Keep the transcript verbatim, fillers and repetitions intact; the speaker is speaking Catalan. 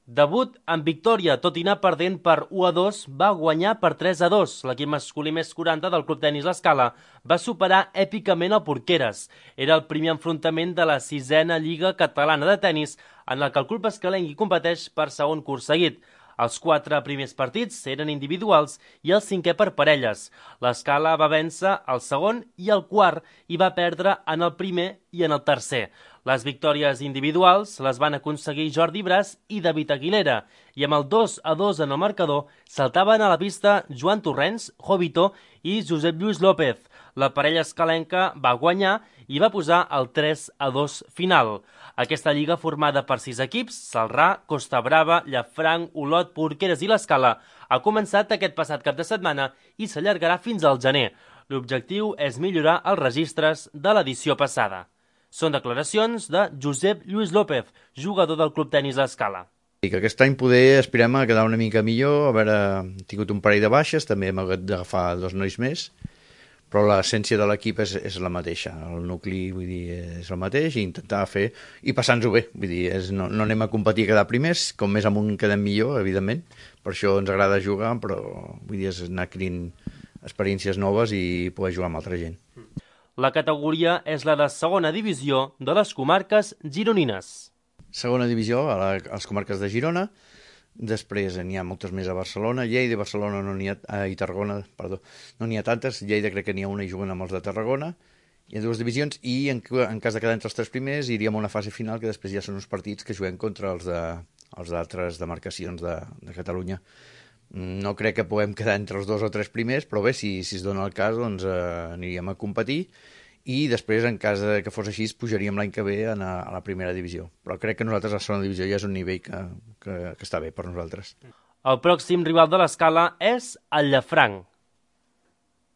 Debut amb victòria, tot i anar perdent per u a dos, va guanyar per tres a dos. L'equip masculí més quaranta del Club Tenis L'Escala va superar èpicament el Porqueres. Era el primer enfrontament de la sisena Lliga Catalana de Tenis, en el que el club escalenc competeix per segon curs seguit. Els quatre primers partits eren individuals i el cinquè per parelles. L'Escala va vèncer el segon i el quart i va perdre en el primer i en el tercer. Les victòries individuals les van aconseguir Jordi Bras i David Aguilera, i amb el dos a dos en el marcador saltaven a la pista Joan Torrents, Jovito i Josep Lluís López. La parella escalenca va guanyar i va posar el tres a dos final. Aquesta lliga, formada per sis equips, Celrà, Costa Brava, Llafranc, Olot, Porqueres i l'Escala, ha començat aquest passat cap de setmana i s'allargarà fins al gener. L'objectiu és millorar els registres de l'edició passada. Són declaracions de Josep Lluís López, jugador del Club Tenis L'Escala. I que aquest any poder aspirem a quedar una mica millor, a veure, hem tingut un parell de baixes, també hem hagut d'agafar dos nois més, però l'essència de l'equip és, és la mateixa, el nucli, vull dir, és el mateix, i intentar fer, i passar-nos-ho bé, vull dir, és, no, no anem a competir a quedar primers, com més amunt quedem millor, evidentment, per això ens agrada jugar, però vull dir, és anar adquirint experiències noves i poder jugar amb altra gent. La categoria és la de segona divisió de les comarques gironines. Segona divisió a, la, a les comarques de Girona, després n'hi ha moltes més a Barcelona, Lleida i Barcelona no n'hi ha, a, i Tarragona, perdó, no n'hi ha tantes, Lleida crec que n'hi ha una i juguen amb els de Tarragona, hi ha dues divisions i en, en cas de quedar entre els tres primers iríem a una fase final que després ja són uns partits que juguem contra els de, els d'altres demarcacions de, de Catalunya. No crec que puguem quedar entre els dos o tres primers, però bé, si, si es dona el cas, doncs eh, aniríem a competir i després, en cas que fos així, pujaríem l'any que ve a, a la primera divisió. Però crec que nosaltres a la segona divisió ja és un nivell que, que, que està bé per nosaltres. El pròxim rival de l'Escala és el Llafranc.